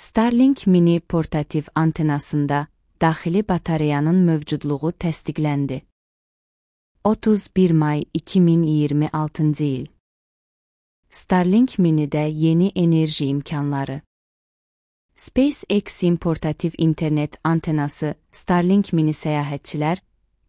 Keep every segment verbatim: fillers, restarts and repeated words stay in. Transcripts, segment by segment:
Starlink mini portativ antenasında daxili batareyanın mövcudluğu təsdiqləndi. otuz bir may iki min iyirmi altıncı il. Starlink mini'də yeni enerji imkanları. SpaceX'in portativ internet antenası Starlink mini səyahətçilər,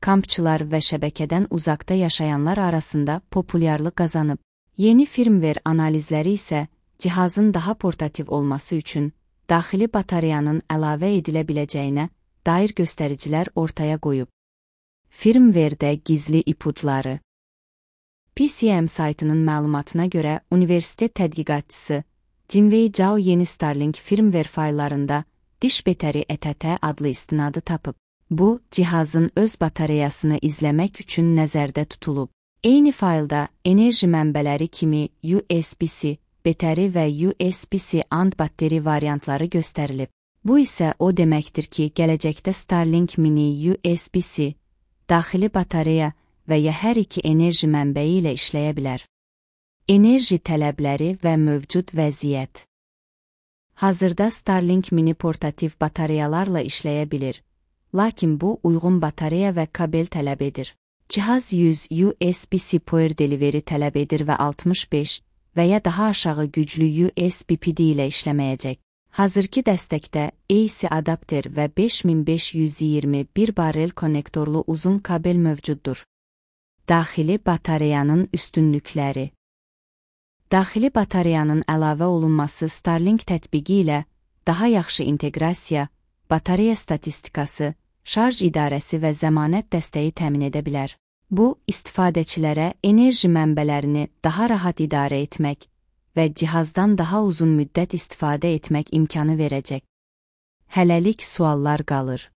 kampçılar və şəbəkədən uzaqda yaşayanlar arasında populyarlıq qazanıb. Yeni firmware analizləri isə cihazın daha portativ olması üçün daxili batareyanın əlavə edilə biləcəyinə dair göstəricilər ortaya qoyub. Firmware'də gizli ipucları. P C M saytının məlumatına görə universitet tədqiqatçısı Jinwei Zhao yeni Starlink firmware fayllarında diş betəri E T T adlı istinadı tapıb. Bu, cihazın öz batareyasını izləmək üçün nəzərdə tutulub. Eyni faylda enerji mənbələri kimi U S B-C, betəri və U S B-C and batteri variantları göstərilib. Bu isə o deməkdir ki, gələcəkdə Starlink mini U S B-C, daxili batareya və ya hər iki enerji mənbəyi ilə işləyə bilər. Enerji tələbləri və mövcud vəziyyət. Hazırda Starlink mini portativ batareyalarla işləyə bilir, lakin bu uyğun batareya və kabel tələb edir. Cihaz yüz U S B-C power delivery tələb edir və altmış beş və ya daha aşağı güclü U S B P D ilə işləməyəcək. Hazırki dəstəkdə A C adapter və beş min beş yüz iyirmi bir barrel konnektorlu uzun kabel mövcuddur. Daxili batareyanın üstünlükləri. Daxili batareyanın əlavə olunması Starlink tətbiqi ilə daha yaxşı inteqrasiya, batareya statistikası, şarj idarəsi və zəmanət dəstəyi təmin edə bilər. Bu, istifadəçilərə enerji mənbələrini daha rahat idarə etmək və cihazdan daha uzun müddət istifadə etmək imkanı verəcək. Hələlik suallar qalır.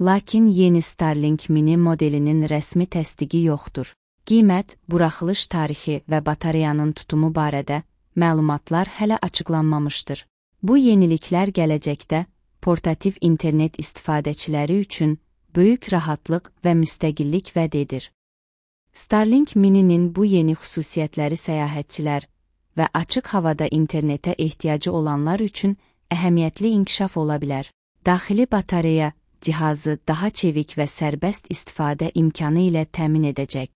Lakin yeni Starlink mini modelinin rəsmi təsdiqi yoxdur. Qiymət, buraxılış tarixi və batareyanın tutumu barədə məlumatlar hələ açıqlanmamışdır. Bu yeniliklər gələcəkdə portativ internet istifadəçiləri üçün böyük rahatlıq və müstəqillik vəd edir. Starlink mininin bu yeni xüsusiyyətləri səyahətçilər və açıq havada internetə ehtiyacı olanlar üçün əhəmiyyətli inkişaf ola bilər. Daxili batareya cihazı daha çevik və sərbəst istifadə imkanı ilə təmin edəcək.